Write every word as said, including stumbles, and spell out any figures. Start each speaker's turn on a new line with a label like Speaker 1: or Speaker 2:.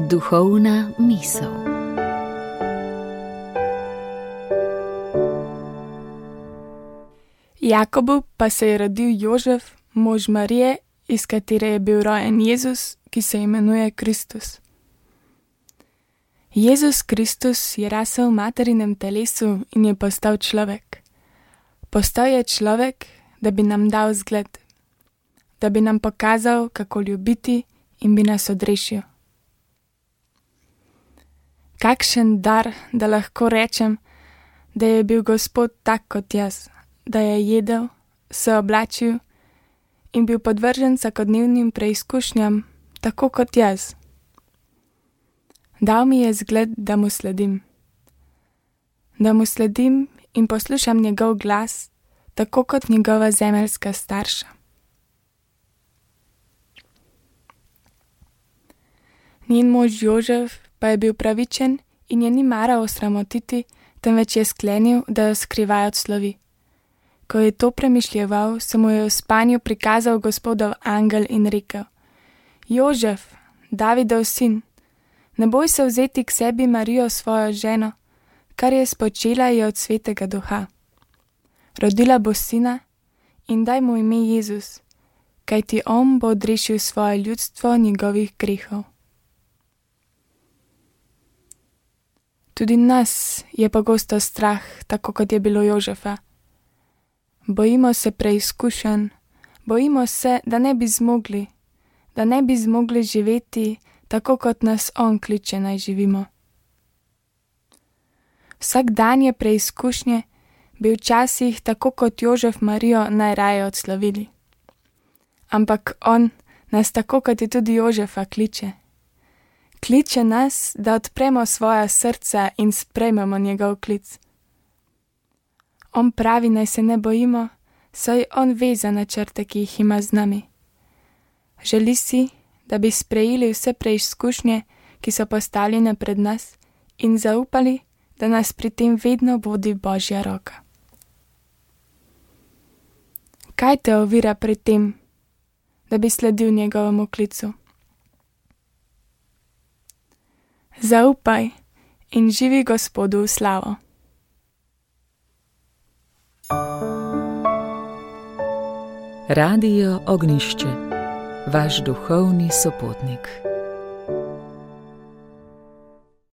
Speaker 1: Duhovna misel.
Speaker 2: Jakobu pa se je rodil Jožef, mož Marije, iz katere je bil rojen Jezus, ki se imenuje Kristus. Jezus Kristus je rasel v materinem telesu in je postal človek. Postal je človek, da bi nam dal zgled, da bi nam pokazal, kako ljubiti in bi nas odrešil. Kakšen dar, da lahko rečem, da je bil Gospod tak kot jaz, da je jedel, se oblačil in bil podvržen vsakodnevnim preizkušnjam, tako kot jaz. Dal mi je zgled, da mu sledim. Da mu sledim in poslušam njegov glas, tako kot njegova zemeljska starša. Njen mož Jožef pa je bil pravičen in je ni maral osramotiti, temveč je sklenil, da jo skrivaj odslovi. Ko je to premišljeval, se mu je v spanju prikazal Gospodov angel in rekel: Jožef, Davidov sin, ne boj se vzeti k sebi Marijo svojo ženo, kar je spočela je od svetega duha. Rodila bo sina in daj mu ime Jezus, kajti on bo odrešil svoje ljudstvo njegovih grehov. Tudi nas je pogosto strah, tako kot je bilo Jožefa. Bojimo se preizkušenj, bojimo se, da ne bi zmogli, da ne bi zmogli živeti tako, kot nas on kliče naj živimo. Vsak dan je preizkušnje, bi včasih tako kot Jožef Marijo najraje odslovili. Ampak on nas tako kot je tudi Jožefa kliče. Kliče nas, da odpremo svoja srca in sprejmemo njegov klic. On pravi, naj se ne bojimo, saj on ve za načrte, ki jih ima z nami. Želi si, da bi sprejeli vse preizkušnje, ki so postavljene pred nas, in zaupali, da nas pri tem vedno vodi Božja roka. Kaj te ovira pri tem, da bi sledil njegovemu klicu? Zaupaj in živi Gospodu v slavo.
Speaker 1: Radio Ognjišče, vaš duhovni sopotnik.